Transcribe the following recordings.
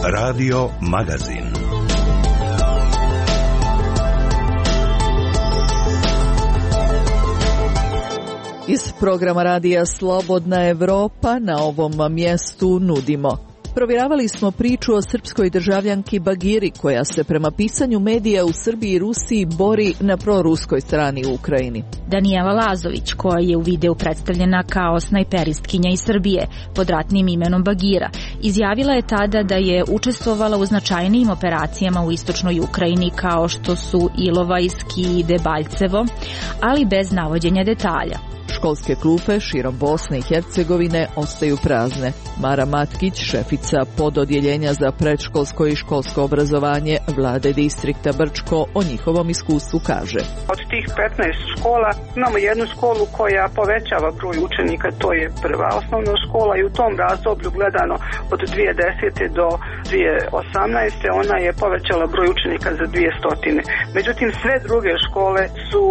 Radio Magazin. Iz programa radija Slobodna Evropa na ovom mjestu nudimo. Provjeravali smo priču o srpskoj državljanki Bagiri koja se prema pisanju medija u Srbiji i Rusiji bori na proruskoj strani u Ukrajini. Danijela Lazović, koja je u videu predstavljena kao snajperistkinja iz Srbije pod ratnim imenom Bagira, izjavila je tada da je učestvovala u značajnijim operacijama u istočnoj Ukrajini kao što su Ilovajski i Debaljevo, ali bez navođenja detalja. Školske klupe širom Bosne i Hercegovine ostaju prazne. Mara Matkić, šefica pododjeljenja za predškolsko i školsko obrazovanje vlade distrikta Brčko, o njihovom iskustvu kaže. Od tih 15 škola imamo jednu školu koja povećava broj učenika, to je prva osnovna škola i u tom razdoblju gledano od 2010. do 2018. ona je povećala broj učenika za 200. Međutim, sve druge škole su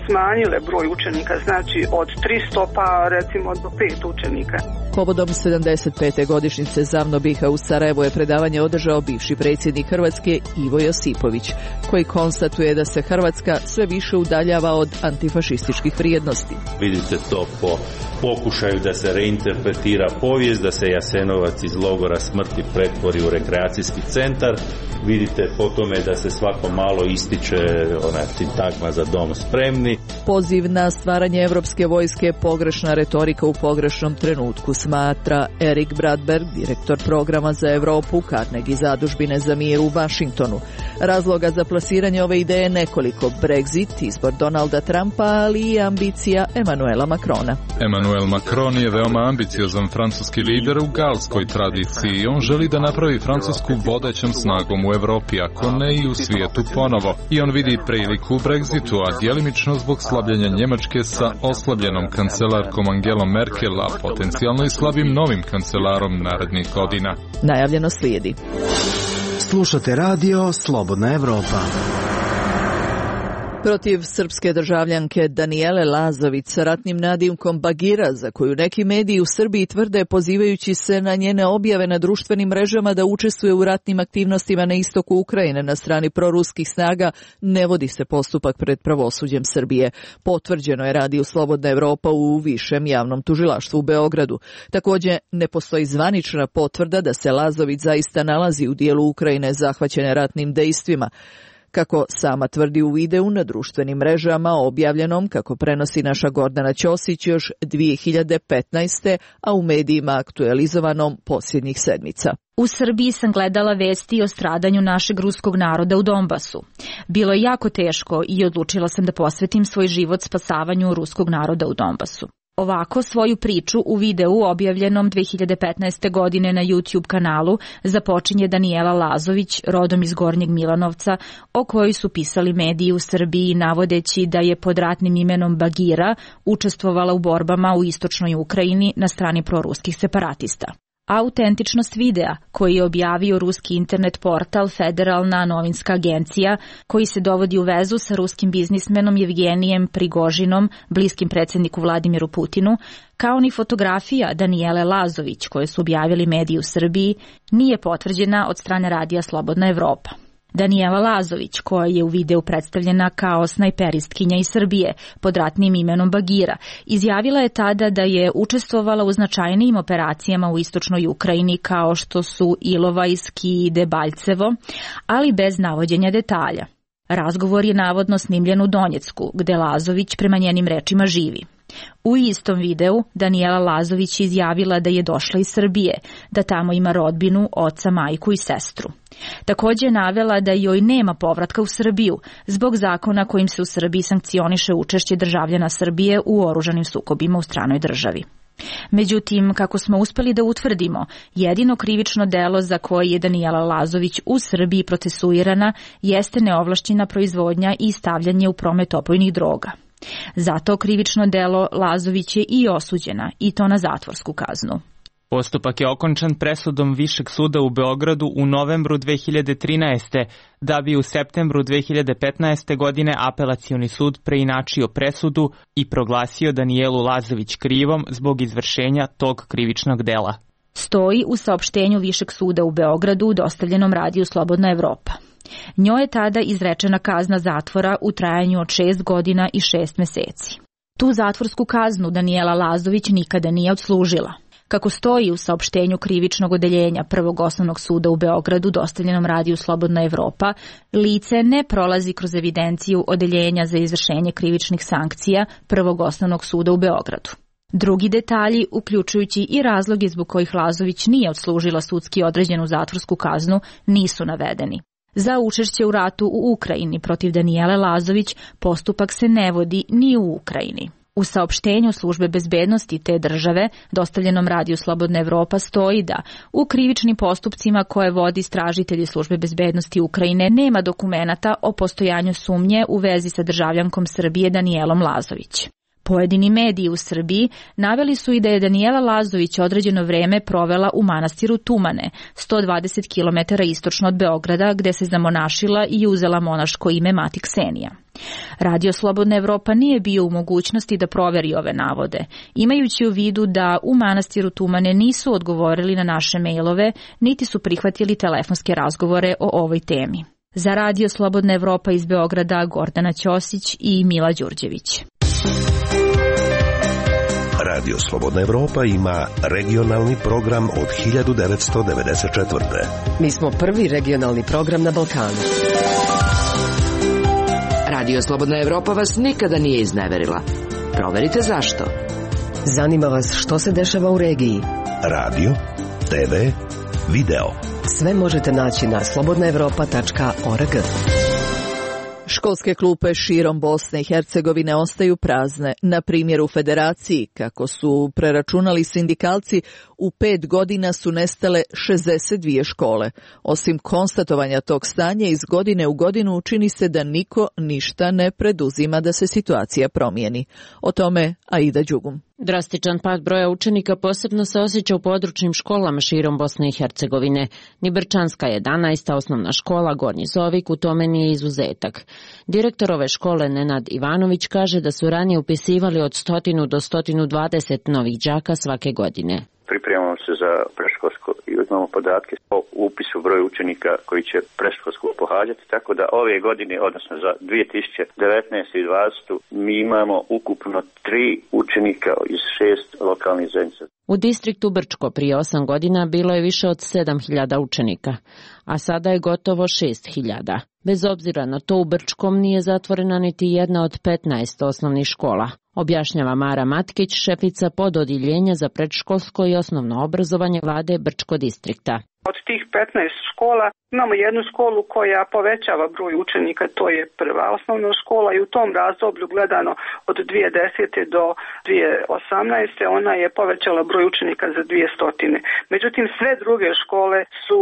smanjile broj učenika, znači od 300 pa recimo do 5 učenika. Povodom 75. godišnjice Zavnobiha u Sarajevu je predavanje održao bivši predsjednik Hrvatske Ivo Josipović, koji konstatuje da se Hrvatska sve više udaljava od antifašističkih vrijednosti. Vidite to po pokušaju da se reinterpretira povijest, da se Jasenovac iz logora smrti pretvori u rekreacijski centar. Vidite po tome da se svako malo ističe ona sintagma za dom spremni. Poziv na stvaranje evropske vojske pogrešna retorika u pogrešnom trenutku, smatra Erik Bradberg, direktor programa za Europu Carnegie zadužbine za mir u Vašingtonu. Razloga za plasiranje ove ideje nekoliko: Brexit, izbor Donalda Trumpa, ali i ambicija Emmanuela Macrona. Emmanuel Macron je veoma ambiciozan francuski lider u galskoj tradiciji. On želi da napravi Francusku vodećom snagom u Evropi, ako ne i u svijetu ponovo. I on vidi priliku u Brexitu, a djelimično zbog slabljenja Njemačke sa oslabljenom kancelarkom Angelom Merkel, a potencijalno i slabim novim kancelarom narednih godina. Najavljeno slijedi. Slušate radio Slobodna Evropa. Protiv srpske državljanke Danijele Lazović sa ratnim nadimkom Bagira, za koju neki mediji u Srbiji tvrde pozivajući se na njene objave na društvenim mrežama da učestvuje u ratnim aktivnostima na istoku Ukrajine na strani proruskih snaga, ne vodi se postupak pred pravosuđem Srbije. Potvrđeno je radiju Slobodna Evropa u višem javnom tužilaštvu u Beogradu. Također ne postoji zvanična potvrda da se Lazović zaista nalazi u dijelu Ukrajine zahvaćene ratnim dejstvima. Kako sama tvrdi u videu na društvenim mrežama objavljenom, kako prenosi naša Gordana Ćosić, još 2015. a u medijima aktualizovanom posljednjih sedmica. U Srbiji sam gledala vesti o stradanju našeg ruskog naroda u Donbasu. Bilo je jako teško i odlučila sam da posvetim svoj život spasavanju ruskog naroda u Donbasu. Ovako svoju priču u videu objavljenom 2015. godine na YouTube kanalu započinje Danijela Lazović, rodom iz Gornjeg Milanovca, o kojoj su pisali mediji u Srbiji navodeći da je pod ratnim imenom Bagira učestvovala u borbama u istočnoj Ukrajini na strani proruskih separatista. Autentičnost videa koji je objavio ruski internet portal Federalna novinska agencija, koji se dovodi u vezu sa ruskim biznismenom Jevgenijem Prigožinom, bliskim predsjedniku Vladimiru Putinu, kao ni fotografija Danijele Lazović koje su objavili mediji u Srbiji, nije potvrđena od strane radija Slobodna Evropa. Danijela Lazović, koja je u videu predstavljena kao snajperistkinja iz Srbije pod ratnim imenom Bagira, izjavila je tada da je učestvovala u značajnijim operacijama u istočnoj Ukrajini kao što su Ilovajski i Debaljevo, ali bez navođenja detalja. Razgovor je navodno snimljen u Donjecku, gde Lazović prema njenim rečima živi. U istom videu Danijela Lazović izjavila da je došla iz Srbije, da tamo ima rodbinu, oca, majku i sestru. Također je navela da joj nema povratka u Srbiju zbog zakona kojim se u Srbiji sankcioniše učešće državljana Srbije u oružanim sukobima u stranoj državi. Međutim, kako smo uspeli da utvrdimo, jedino krivično delo za koje je Danijela Lazović u Srbiji procesuirana jeste neovlašćena proizvodnja i stavljanje u promet opojnih droga. Zato krivično delo Lazović je i osuđena, i to na zatvorsku kaznu. Postupak je okončan presudom Višeg suda u Beogradu u novembru 2013. da bi u septembru 2015. godine Apelacioni sud preinačio presudu i proglasio Danijelu Lazović krivom zbog izvršenja tog krivičnog dela. Stoji u saopštenju Višeg suda u Beogradu dostavljenom radiju Slobodna Evropa. Njoj je tada izrečena kazna zatvora u trajanju od 6 godina i 6 meseci. Tu zatvorsku kaznu Danijela Lazović nikada nije odslužila. Kako stoji u saopštenju krivičnog odeljenja Prvog osnovnog suda u Beogradu dostavljenom radiju Slobodna Evropa, lice ne prolazi kroz evidenciju odeljenja za izvršenje krivičnih sankcija Prvog osnovnog suda u Beogradu. Drugi detalji, uključujući i razloge zbog kojih Lazović nije odslužila sudski određenu zatvorsku kaznu, nisu navedeni. Za učešće u ratu u Ukrajini protiv Danijele Lazović postupak se ne vodi ni u Ukrajini. U saopštenju službe bezbednosti te države, dostavljenom radiju Slobodna Evropa, stoji da u krivičnim postupcima koje vodi istražitelji službe bezbednosti Ukrajine nema dokumenata o postojanju sumnje u vezi sa državljankom Srbije Danijelom Lazović. Pojedini mediji u Srbiji naveli su i da je Danijela Lazović određeno vreme provela u manastiru Tumane, 120 km istočno od Beograda, gde se zamonašila i uzela monaško ime Mati Ksenija. Radio Slobodna Evropa nije bio u mogućnosti da proveri ove navode, imajući u vidu da u manastiru Tumane nisu odgovorili na naše mejlove, niti su prihvatili telefonske razgovore o ovoj temi. Za Radio Slobodna Evropa iz Beograda Gordana Ćosić i Mila Đurđević. Radio Slobodna Evropa ima regionalni program od 1994. Mi smo prvi regionalni program na Balkanu. Radio Slobodna Evropa vas nikada nije izneverila. Proverite zašto. Zanima vas što se dešava u regiji. Radio, TV, video. Sve možete naći na slobodnaevropa.org. Školske klupe širom Bosne i Hercegovine ostaju prazne. Na primjer u Federaciji, kako su preračunali sindikalci, u 5 godina su nestale 62 škole. Osim konstatovanja tog stanja, iz godine u godinu čini se da niko ništa ne preduzima da se situacija promijeni. O tome Aida Đugum. Drastičan pad broja učenika posebno se osjeća u područnim školama širom Bosne i Hercegovine. Nibrčanska 11. osnovna škola Gornji Zovik u tome nije izuzetak. Direktor ove škole Nenad Ivanović kaže da su ranije upisivali od 100 do 120 novih đaka svake godine. Pripremamo se za predškolsko i uzmamo podatke o upisu broju učenika koji će predškolsko pohađati, tako da ove godine, odnosno za 2019. i 2020. mi imamo ukupno 3 učenika iz 6 lokalnih zajednica. U distriktu Brčko prije 8 godina bilo je više od 7.000 učenika, a sada je gotovo 6.000. Bez obzira na to, u Brčkom nije zatvorena niti jedna od 15 osnovnih škola. Objašnjava Mara Matkić, šefica pododjeljenja za predškolsko i osnovno obrazovanje vlade Brčko distrikta. Od tih 15 škola imamo jednu školu koja povećava broj učenika, to je prva osnovna škola i u tom razdoblju gledano od 2010. do 2018. ona je povećala broj učenika za 200. Međutim, sve druge škole su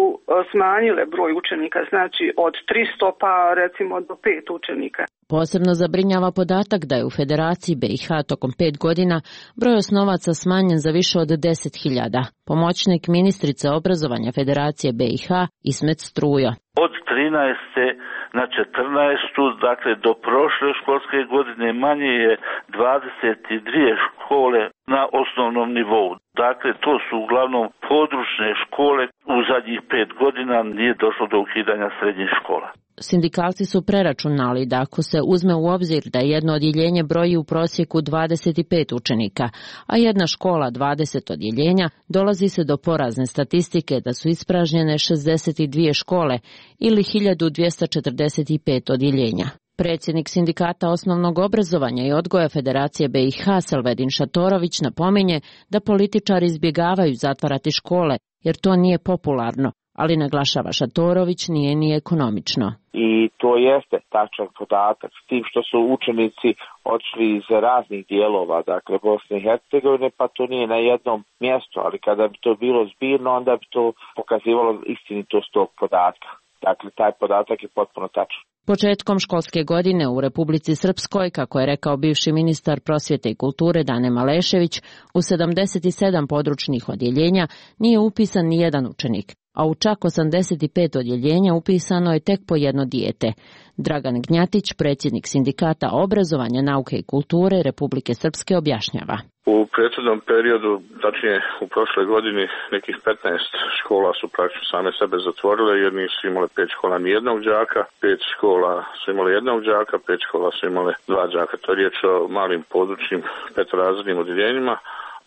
smanjile broj učenika, znači od 300 pa recimo do 5 učenika. Posebno zabrinjava podatak da je u Federaciji BiH tokom 5 godina broj osnovaca smanjen za više od 10.000. Pomoćnik ministrice obrazovanja Federacije BiH Ismet Strujo. Od 13. na 14. dakle do prošle školske godine manje je 22 škole na osnovnom nivou. Dakle, to su uglavnom područne škole. U zadnjih 5 godina nije došlo do ukidanja srednjih škola. Sindikalci su preračunali da ako se uzme u obzir da jedno odjeljenje broji u prosjeku 25 učenika, a jedna škola 20 odjeljenja, dolazi se do porazne statistike da su ispražnjene 62 škole ili 1245 odjeljenja. Predsjednik Sindikata osnovnog obrazovanja i odgoja Federacije BiH Selvedin Šatorović napominje da političari izbjegavaju zatvarati škole jer to nije popularno, ali naglašava Šatorović nije ni ekonomično. I to jeste tačan podatak, s tim što su učenici odšli iz raznih dijelova, dakle Bosne i Hercegovine, pa to nije na jednom mjestu, ali kada bi to bilo zbirno, onda bi to pokazivalo istinitost tog podatka. Dakle, taj podatak je potpuno tačan. Početkom školske godine u Republici Srpskoj, kako je rekao bivši ministar prosvjete i kulture Dane Malešević, u 77 područnih odjeljenja nije upisan ni jedan učenik, a u čak 85 odjeljenja upisano je tek po jedno dijete. Dragan Gnjatić, predsjednik Sindikata obrazovanja, nauke i kulture Republike Srpske, objašnjava. U prethodnom periodu, tačnije u prošloj godini, nekih 15 škola su praktično same sebe zatvorile jer nisu imale 5 škola ni jednog đaka, 5 škola su imale jednog đaka, 5 škola su imale 2 đaka. To je riječ o malim područnim petorazrednim odjeljenjima,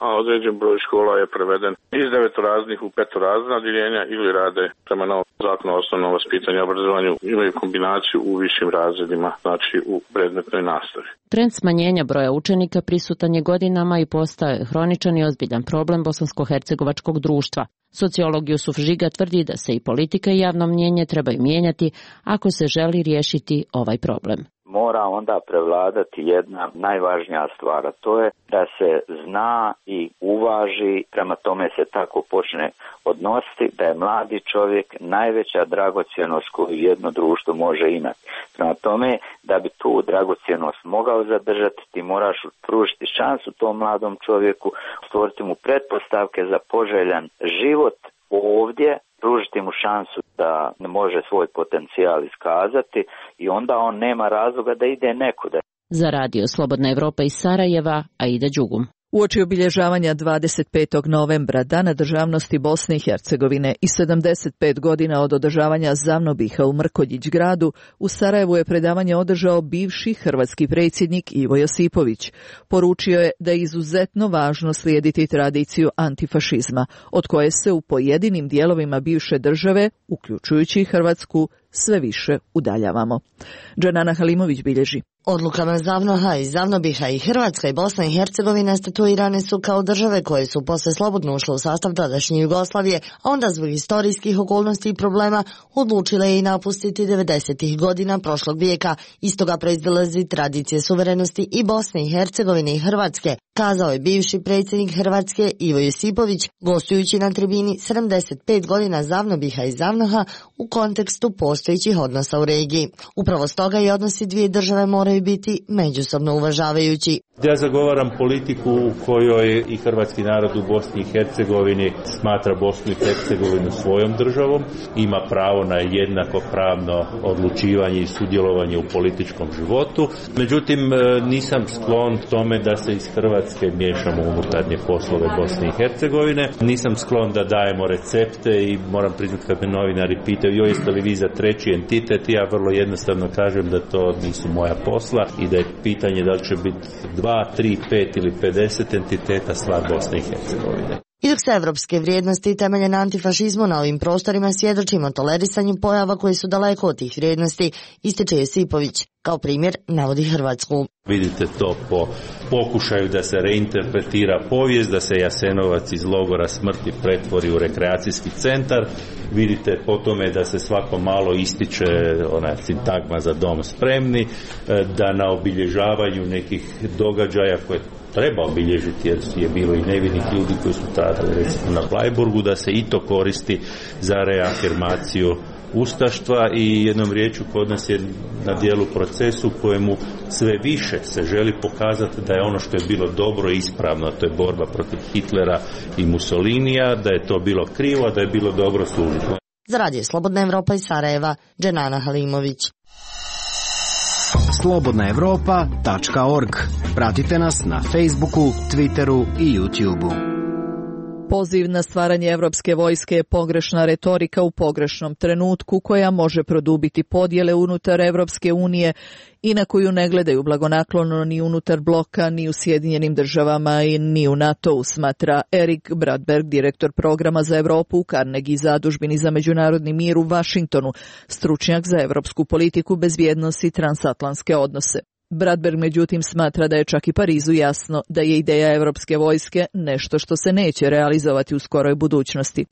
a određen broj škola je preveden iz 9-razrednih u 5-razredna odjeljenja ili rade prema novom zakonu o osnovnom vaspitanju i obrazovanju, imaju kombinaciju u višim razredima, znači u predmetnoj nastavi. Trend smanjenja broja učenika prisutan je godinama i postao je hroničan i ozbiljan problem bosansko-hercegovačkog društva. Sociolog Jusuf Žiga tvrdi da se i politika i javno mnjenje trebaju mijenjati ako se želi riješiti ovaj problem. Mora onda prevladati jedna najvažnija stvar, a to je da se zna i uvaži, prema tome se tako počne odnositi, da je mladi čovjek najveća dragocjenost koju jedno društvo može imati. Prema tome, da bi tu dragocjenost mogao zadržati, ti moraš pružiti šansu tom mladom čovjeku, stvoriti mu pretpostavke za poželjan život ovdje, pružiti mu šansu da može svoj potencijal iskazati i onda on nema razloga da ide nekuda. Za Radio Slobodna Evropa iz Sarajeva, Aida Đugum. Uoči obilježavanja 25. novembra, Dana državnosti Bosne i Hercegovine i 75 godina od održavanja Zavnobiha u Mrkonjić gradu, u Sarajevu je predavanje održao bivši hrvatski predsjednik Ivo Josipović. Poručio je da je izuzetno važno slijediti tradiciju antifašizma, od koje se u pojedinim dijelovima bivše države, uključujući i Hrvatsku, sve više udaljavamo. Džanana Halimović bilježi. Odlukama Zavnoha i Zavnobiha i Hrvatska i Bosna i Hercegovina statuirane su kao države koje su posle slobodno ušle u sastav tadašnje Jugoslavije, a onda zbog historijskih okolnosti i problema odlučile i napustiti 90. godina prošlog vijeka. Iz toga proizlazi tradicije suverenosti i Bosne i Hercegovine i Hrvatske, kazao je bivši predsjednik Hrvatske Ivo Josipović, gostujući na tribini 75 godina Zavnobiha i Zavnoha u kontekstu postojećih odnosa u regiji. Upravo stoga i odnosi dvije države moraju biti međusobno uvažavajući. Ja zagovaram politiku u kojoj i hrvatski narod u Bosni i Hercegovini smatra Bosnu i Hercegovinu svojom državom, ima pravo na jednakopravno odlučivanje i sudjelovanje u političkom životu. Međutim, nisam sklon tome da se iz Hrvatske miješamo u unutarnje poslove Bosne i Hercegovine. Nisam sklon da dajemo recepte i moram priznati kad me novinari pitaju jeste li vi za treći entitet, ja vrlo jednostavno kažem da to nisu moja posla i da je pitanje da li će biti 2, 3, 5 ili 50 entiteta stvar Bosne i Hercegovine. I dok se evropske vrijednosti temelje na antifašizmu na ovim prostorima svjedočimo tolerisanju pojava koji su daleko od tih vrijednosti, ističe Josipović. Kao primjer navodi Hrvatsku. Vidite to po pokušaju da se reinterpretira povijest, da se Jasenovac iz logora smrti pretvori u rekreacijski centar. Vidite po tome da se svako malo ističe ona sintagma za dom spremni, da na obilježavanju nekih događaja koje treba obilježiti jer je bilo i nevinih ljudi koji su stradali recimo na Blajburgu, da se i to koristi za reafirmaciju ustaštva i jednom riječju kod nas je na dijelu procesu kojemu sve više se želi pokazati da je ono što je bilo dobro i ispravno, a to je borba protiv Hitlera i Mussolinija, da je to bilo krivo, a da je bilo dobro služiti. Za Radio Slobodna Evropa iz Sarajeva, Dženana Halimović. slobodnaevropa.org. Pratite nas na Facebooku, Twitteru i YouTubeu. Poziv na stvaranje evropske vojske je pogrešna retorika u pogrešnom trenutku koja može produbiti podjele unutar Evropske unije i na koju ne gledaju blagonaklono ni unutar bloka, ni u Sjedinjenim državama i ni u NATO-u, smatra Erik Bradberg, direktor programa za Evropu u Carnegie zadužbini za međunarodni mir u Vašingtonu, stručnjak za evropsku politiku, bezbjednost i transatlantske odnose. Bradberg međutim smatra da je čak i Parizu jasno da je ideja evropske vojske nešto što se neće realizovati u skoroj budućnosti.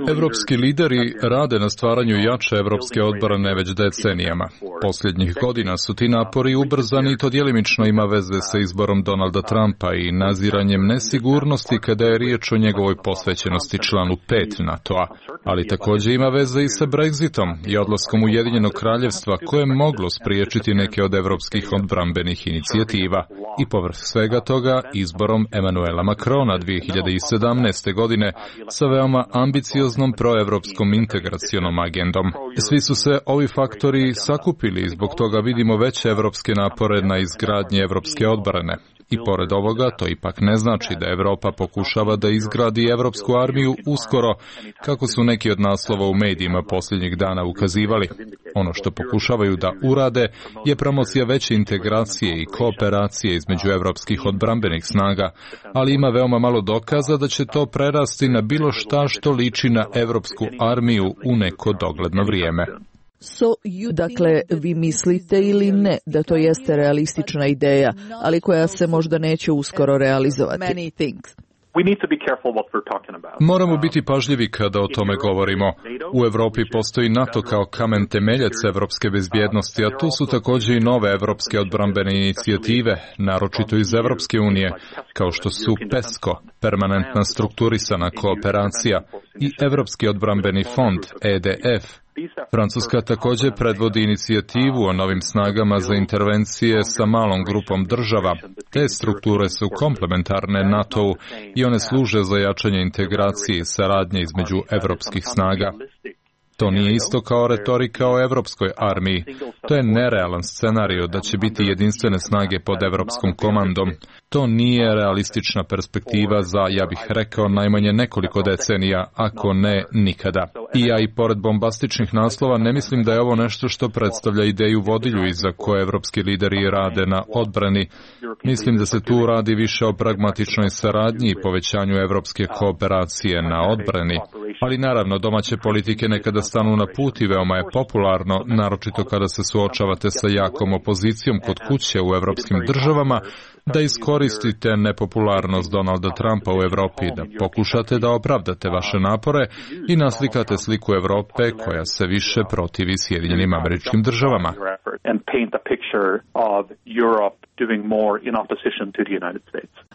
Evropski lideri rade na stvaranju jače evropske odbrane već decenijama. Posljednjih godina su ti napori ubrzani i to djelimično ima veze sa izborom Donalda Trumpa i naziranjem nesigurnosti kada je riječ o njegovoj posvećenosti članu 5 NATO-a, ali također ima veze i sa Brexitom i odlaskom Ujedinjenog kraljevstva koje je moglo spriječiti neke od evropskih odbrambenih inicijativa. I povrh svega toga izborom Emmanuela Macrona 2017. godine sa veoma ambicioznom proevropskom integracionom agendom. Svi su se ovi faktori sakupili i zbog toga vidimo veće evropske napore na izgradnji evropske odbrane. I pored ovoga, to ipak ne znači da Europa pokušava da izgradi evropsku armiju uskoro, kako su neki od naslova u medijima posljednjih dana ukazivali. Ono što pokušavaju da urade je promocija veće integracije i kooperacije između evropskih odbrambenih snaga, ali ima veoma malo dokaza da će to prerasti na bilo šta što liči na evropsku armiju u neko dogledno vrijeme. Dakle, vi mislite ili ne da to jeste realistična ideja, ali koja se možda neće uskoro realizovati? Moramo biti pažljivi kada o tome govorimo. U Europi postoji NATO kao kamen temeljac evropske bezbjednosti, a tu su također i nove evropske odbrambene inicijative, naročito iz Evropske unije, kao što su PESCO, permanentna strukturisana kooperacija, i Evropski odbrambeni fond, EDF. Francuska također predvodi inicijativu o novim snagama za intervencije sa malom grupom država. Te strukture su komplementarne NATO-u i one služe za jačanje integracije i saradnje između evropskih snaga. To nije isto kao retorika o evropskoj armiji. To je nerealan scenario da će biti jedinstvene snage pod evropskom komandom. To nije realistična perspektiva za, ja bih rekao, najmanje nekoliko decenija, ako ne nikada. I ja i pored bombastičnih naslova ne mislim da je ovo nešto što predstavlja ideju vodilju iza koje evropski lideri rade na odbrani. Mislim da se tu radi više o pragmatičnoj saradnji i povećanju evropske kooperacije na odbrani. Ali naravno, domaće politike nekada stanu na put i veoma je popularno, naročito kada se suočavate sa jakom opozicijom kod kuće u evropskim državama, da iskoristite nepopularnost Donalda Trumpa u Evropi, da pokušate da opravdate vaše napore i naslikate sliku Evrope koja se više protivi Sjedinjenim Američkim Državama.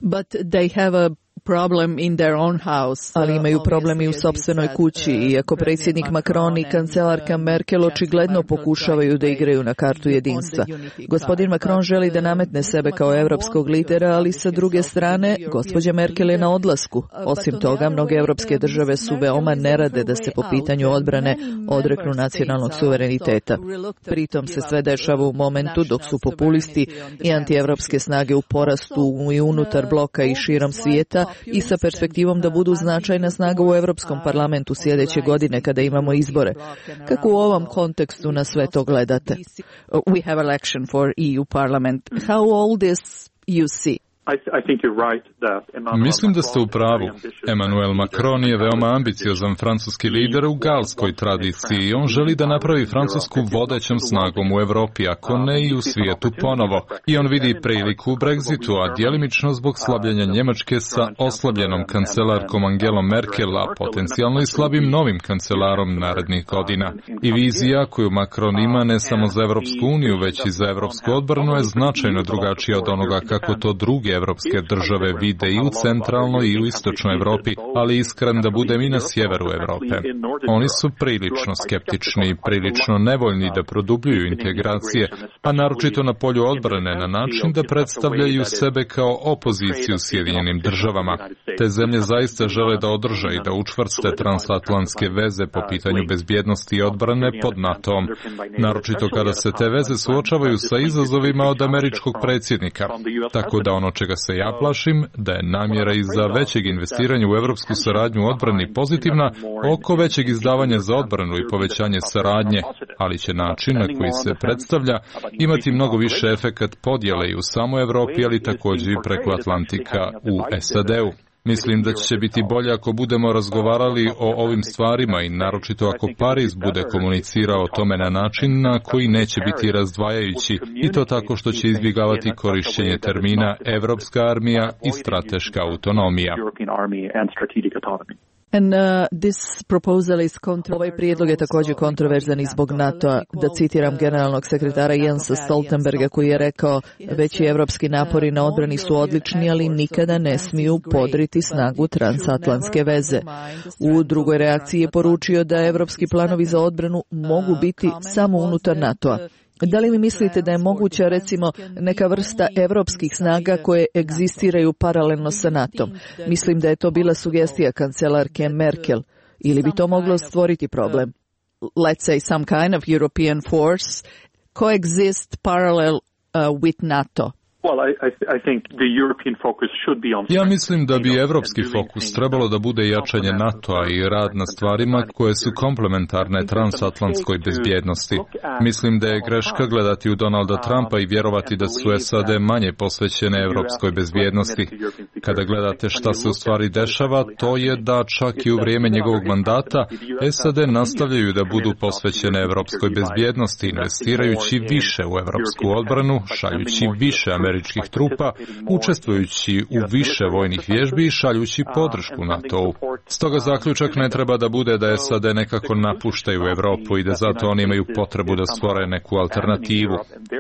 But they have a problem in their own house. Ali imaju problem i u sopstvenoj kući, iako predsjednik Macron i kancelarka Merkel očigledno pokušavaju da igraju na kartu jedinstva. Gospodin Macron želi da nametne sebe kao evropskog lidera, ali sa druge strane, gospođa Merkel je na odlasku. Osim toga, mnoge evropske države su veoma nerade da se po pitanju odbrane odreknu nacionalnog suvereniteta. Pritom se sve dešava u momentu dok su populisti i antievropske snage u porastu i unutar bloka i širom svijeta, i sa perspektivom da budu značajna snaga u Europskom parlamentu sljedeće godine kada imamo izbore. Kako u ovom kontekstu na sve to gledate? We have election for EU Parliament. How all this you see? Mislim da ste u pravu. Emmanuel Macron je veoma ambiciozan francuski lider u galskoj tradiciji i on želi da napravi Francusku vodećom snagom u Evropi, ako ne i u svijetu ponovo. I on vidi priliku u Brexitu, a djelimično zbog slabljenja Njemačke sa oslabljenom kancelarkom Angelom Merkel, a potencijalno i slabim novim kancelarom narednih godina. I vizija koju Macron ima ne samo za Evropsku uniju, već i za evropsku odbranu je značajno drugačija od onoga kako to druge evropske države vide i u centralnoj i u istočnoj Evropi, ali iskren da budem i na sjeveru Evrope. Oni su prilično skeptični i prilično nevoljni da produbljuju integracije, a naročito na polju odbrane na način da predstavljaju sebe kao opoziciju Sjedinjenim državama. Te zemlje zaista žele da održe i da učvrste transatlantske veze po pitanju bezbjednosti i odbrane pod NATO-om, naročito kada se te veze suočavaju sa izazovima od američkog predsjednika. Tako da ono čega se ja plašim, da je namjera i za većeg investiranja u evropsku saradnju u odbrani pozitivna oko većeg izdavanja za odbranu i povećanje saradnje, ali će način na koji se predstavlja imati mnogo više efekat podjele i u samoj Evropi, ali također i preko Atlantika u SAD-u. Mislim da će biti bolje ako budemo razgovarali o ovim stvarima i naročito ako Pariz bude komunicirao o tome na način na koji neće biti razdvajajući i to tako što će izbjegavati korišćenje termina evropska armija i strateška autonomija. And this proposal is ovaj prijedlog je također kontroverzan i zbog NATO-a. Da citiram generalnog sekretara Jensa Stoltenberga koji je rekao: veći evropski napori na odbrani su odlični, ali nikada ne smiju podriti snagu transatlantske veze. U drugoj reakciji je poručio da evropski planovi za odbranu mogu biti samo unutar NATO-a. Da li mi mislite da je moguća, recimo, neka vrsta evropskih snaga koje egzistiraju paralelno sa NATO-om? Mislim da je to bila sugestija kancelarke Merkel. Ili bi to moglo stvoriti problem? Let's say some kind of European force coexist parallel with NATO. Ja mislim da bi evropski fokus trebalo da bude jačanje NATO-a i rad na stvarima koje su komplementarne transatlantskoj bezbjednosti. Mislim da je greška gledati u Donalda Trumpa i vjerovati da su SAD manje posvećene evropskoj bezbjednosti. Kada gledate šta se u stvari dešava, to je da čak i u vrijeme njegovog mandata SAD nastavljaju da budu posvećene evropskoj bezbjednosti, investirajući više u evropsku odbranu, šaljući više američkih trupa, učestvujući u više vojnih vježbi i šaljući podršku NATO-u. Stoga zaključak ne treba da bude da SAD nekako napuštaju Evropu i da zato oni imaju potrebu da stvore neku alternativu.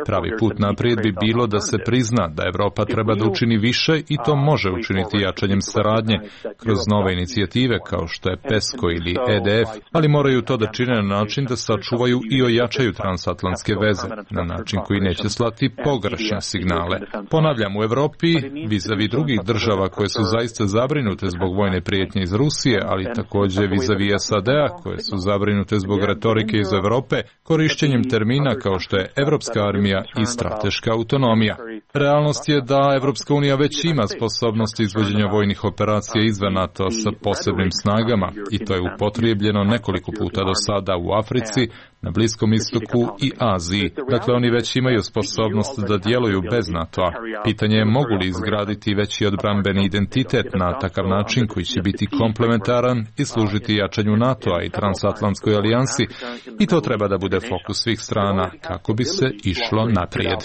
Pravi put naprijed bi bilo da se prizna da Evropa treba da učini više i to može učiniti jačanjem saradnje kroz nove inicijative kao što je PESCO ili EDF, ali moraju to da čine na način da sačuvaju i ojačaju transatlantske veze, na način koji neće slati pogrešne signale. Ponavljam, u Evropi, vizavi drugih država koje su zaista zabrinute zbog vojne prijetnje iz Rusije, ali također vizavi SAD-a koje su zabrinute zbog retorike iz Evrope, korišćenjem termina kao što je evropska armija i strateška autonomija. Realnost je da Evropska unija već ima sposobnost izvođenja vojnih operacija izvan NATO sa posebnim snagama i to je upotrijebljeno nekoliko puta do sada u Africi, na Bliskom istoku i Aziji. Dakle, oni već imaju sposobnost da djeluju bez NATO-a. Pitanje je mogu li izgraditi veći odbrambeni identitet na takav način koji će biti komplementaran i služiti jačanju NATO-a i transatlantskoj alijansi i to treba da bude fokus svih strana kako bi se išlo naprijed.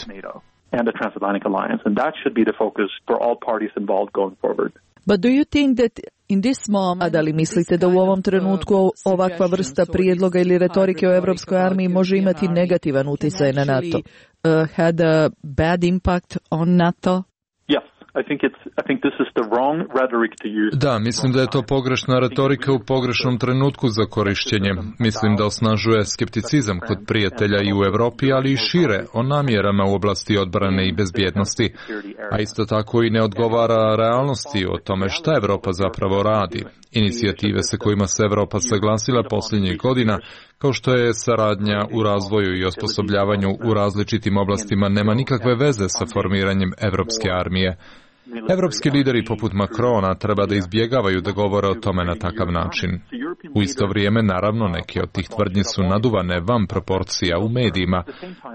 But do you think that in this moment, da li mislite da u ovom trenutku ovakva vrsta prijedloga ili retorike o evropskoj armiji može imati negativan utjecaj na NATO? Had a bad impact on NATO? Da, mislim da je to pogrešna retorika u pogrešnom trenutku za korišćenje. Mislim da osnažuje skepticizam kod prijatelja i u Evropi, ali i šire o namjerama u oblasti odbrane i bezbjednosti. A isto tako i ne odgovara realnosti o tome šta Evropa zapravo radi. Inicijative sa kojima se Evropa saglasila posljednjih godina, kao što je saradnja u razvoju i osposobljavanju u različitim oblastima, nema nikakve veze sa formiranjem evropske armije. Evropski lideri poput Macrona treba da izbjegavaju da govore o tome na takav način. U isto vrijeme, naravno, neke od tih tvrdnji su naduvane van proporcija u medijima.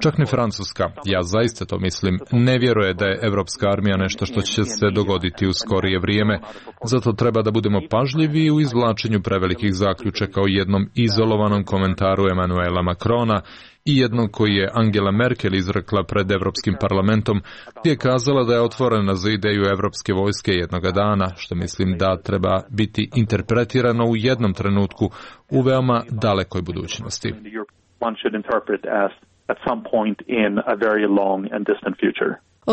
Čak ni Francuska, ja zaista to mislim, ne vjeruje da je evropska armija nešto što će se dogoditi u skorije vrijeme. Zato treba da budemo pažljivi u izvlačenju prevelikih zaključaka o jednom izolovanom komentaru Emmanuela Macrona i jednog koji je Angela Merkel izrekla pred Evropskim parlamentom, gdje je kazala da je otvorena za ideju evropske vojske jednoga dana, što mislim da treba biti interpretirano u jednom trenutku u veoma dalekoj budućnosti.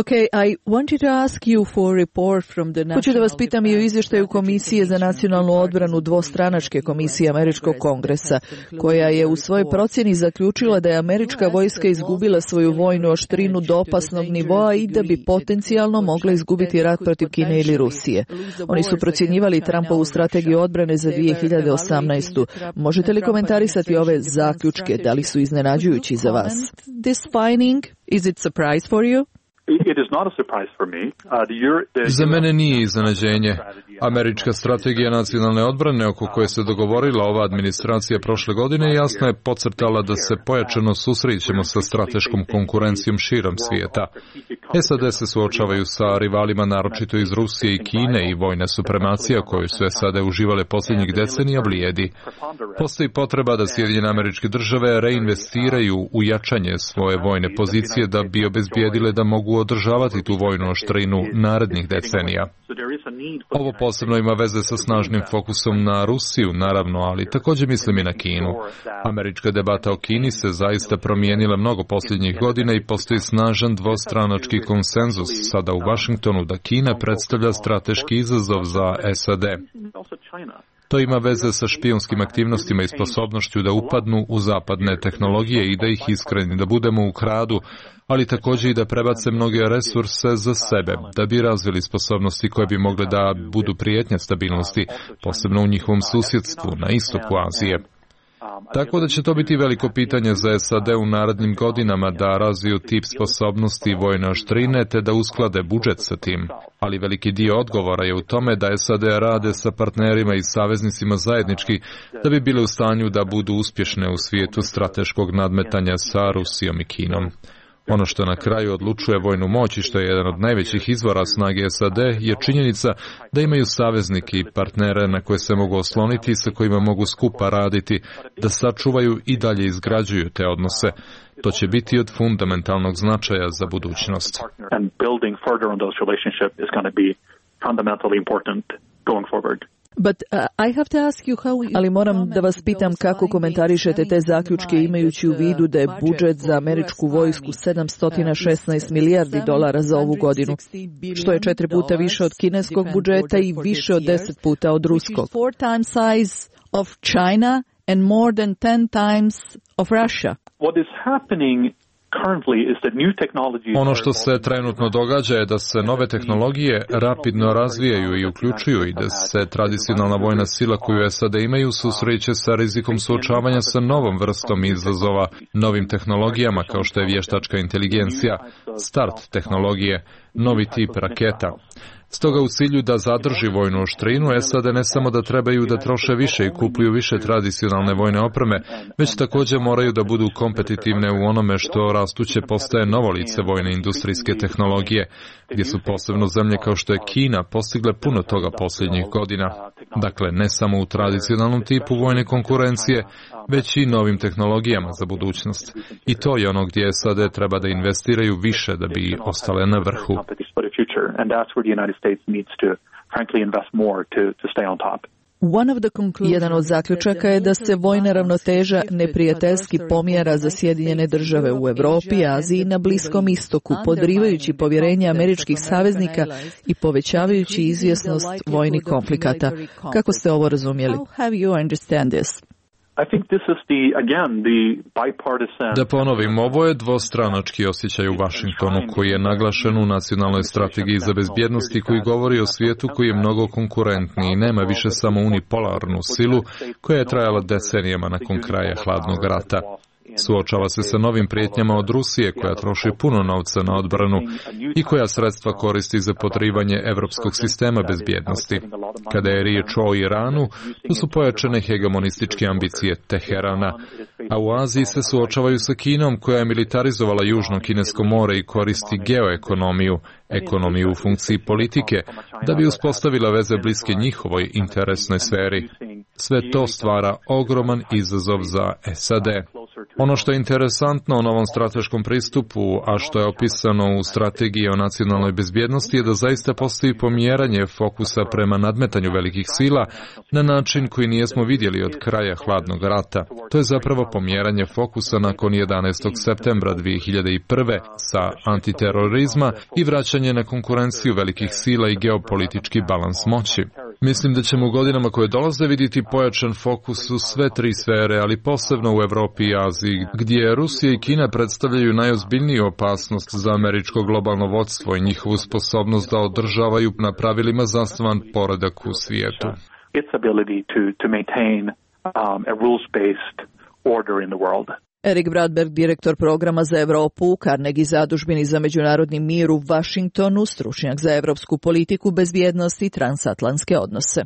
Okay, I wanted to ask you for a report from the Hoću da vas pitam i o izvještaju Komisije za nacionalnu odbranu dvostranačke komisije Američkog kongresa, koja je u svojoj procjeni zaključila da je američka vojska izgubila svoju vojnu oštrinu do opasnog nivoa i da bi potencijalno mogla izgubiti rat protiv Kine ili Rusije. Oni su procjenjivali Trumpovu strategiju odbrane za 2018. Možete li komentarisati ove zaključke? Da li su iznenađujući za vas? This finding, is it surprise for you? Za mene nije iznenađenje. Američka strategija nacionalne odbrane oko koje se dogovorila ova administracija prošle godine jasno je podcrtala da se pojačano susrećemo sa strateškom konkurencijom širom svijeta. SAD se suočavaju sa rivalima naročito iz Rusije i Kine i vojna supremacija koju su SAD uživale posljednjih decenija blijedi. Postoji potreba da Sjedinjene Američke Države reinvestiraju u jačanje svoje vojne pozicije da bi obezbijedile da mogu održavati tu vojnu oštrinu narednih decenija. Ovo posebno ima veze sa snažnim fokusom na Rusiju, naravno, ali također mislim i na Kinu. Američka debata o Kini se zaista promijenila mnogo posljednjih godina i postoji snažan dvostranački konsenzus sada u Vašingtonu da Kina predstavlja strateški izazov za SAD. To ima veze sa špijunskim aktivnostima i sposobnošću da upadnu u zapadne tehnologije i da ih iskreni, da budemo u kradu, ali također i da prebace mnoge resurse za sebe, da bi razvili sposobnosti koje bi mogle da budu prijetnja stabilnosti, posebno u njihovom susjedstvu na istoku Azije. Tako da će to biti veliko pitanje za SAD u narednim godinama da razviju tip sposobnosti vojne oštrine te da usklade budžet sa tim. Ali veliki dio odgovora je u tome da SAD rade sa partnerima i saveznicima zajednički da bi bile u stanju da budu uspješne u svijetu strateškog nadmetanja sa Rusijom i Kinom. Ono što na kraju odlučuje vojnu moć i što je jedan od najvećih izvora snage SAD je činjenica da imaju saveznike i partnere na koje se mogu osloniti i sa kojima mogu skupa raditi, da sačuvaju i dalje izgrađuju te odnose. To će biti od fundamentalnog značaja za budućnost. Ali moram da vas pitam kako komentarišete te zaključke imajući u vidu da je budžet za američku vojsku $716 milijardi za ovu godinu, što je 4 puta više od kineskog budžeta i više od 10 puta od ruskog. And more than 10 times of Russia. What is happening currently is that new technologies. Ono što se trenutno događa je da se nove tehnologije rapidno razvijaju i uključuju i da se tradicionalna vojna sila koju SAD imaju susreće sa rizikom suočavanja sa novom vrstom izazova, novim tehnologijama kao što je vještačka inteligencija, start tehnologije, novi tip raketa. Stoga u cilju da zadrži vojnu oštrinu, SAD ne samo da trebaju da troše više i kupuju više tradicionalne vojne opreme, već također moraju da budu kompetitivne u onome što rastuće postaje novo lice vojne industrijske tehnologije, gdje su posebno zemlje kao što je Kina postigle puno toga posljednjih godina. Dakle, ne samo u tradicionalnom tipu vojne konkurencije, već i novim tehnologijama za budućnost. I to je ono gdje SAD treba da investiraju više da bi ostale na vrhu. Jedan od zaključaka je da se vojna ravnoteža neprijateljski pomjera za Sjedinjene Države u Evropi, Aziji i na Bliskom istoku, podrivajući povjerenje američkih saveznika i povećavajući izvjesnost vojnih konflikata. Kako ste ovo razumjeli? Da ponovim, ovo je dvostranački osjećaj u Vašingtonu koji je naglašen u nacionalnoj strategiji za bezbjednost i koji govori o svijetu koji je mnogo konkurentniji i nema više samo unipolarnu silu koja je trajala decenijama nakon kraja hladnog rata. Suočava se sa novim prijetnjama od Rusije koja troši puno novca na odbranu i koja sredstva koristi za podrivanje evropskog sistema bezbjednosti. Kada je riječ o Iranu, tu su pojačane hegemonističke ambicije Teherana, a u Aziji se suočavaju sa Kinom koja je militarizovala Južno Kinesko more i koristi geoekonomiju, ekonomiju u funkciji politike, da bi uspostavila veze bliske njihovoj interesnoj sferi. Sve to stvara ogroman izazov za SAD. Ono što je interesantno u novom strateškom pristupu, a što je opisano u strategiji o nacionalnoj bezbjednosti, je da zaista postoji pomjeranje fokusa prema nadmetanju velikih sila na način koji nijesmo vidjeli od kraja hladnog rata. To je zapravo pomjeranje fokusa nakon 11. septembra 2001. sa antiterorizma i vraćanje na konkurenciju velikih sila i geopolitički balans moći. Mislim da ćemo u godinama koje dolaze vidjeti pojačan fokus u sve tri sfere, ali posebno u Evropi i Aziji, gdje Rusija i Kina predstavljaju najozbiljniju opasnost za američko globalno vodstvo i njihovu sposobnost da održavaju na pravilima zasnovan poredak u svijetu. Its ability to maintain a rules-based order in the world. Erik Bradberg, direktor programa za Evropu u Carnegie zadužbini za međunarodni mir u Vašingtonu, stručnjak za evropsku politiku, bezbjednost i transatlantske odnose.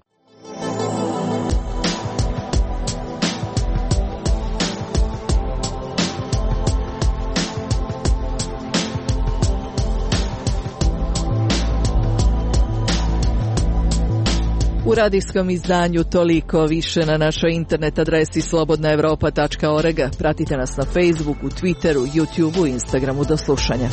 U radijskom izdanju toliko, više na našoj internet adresi slobodnaevropa.org. Pratite nas na Facebooku, Twitteru, YouTubeu i Instagramu. Do slušanja.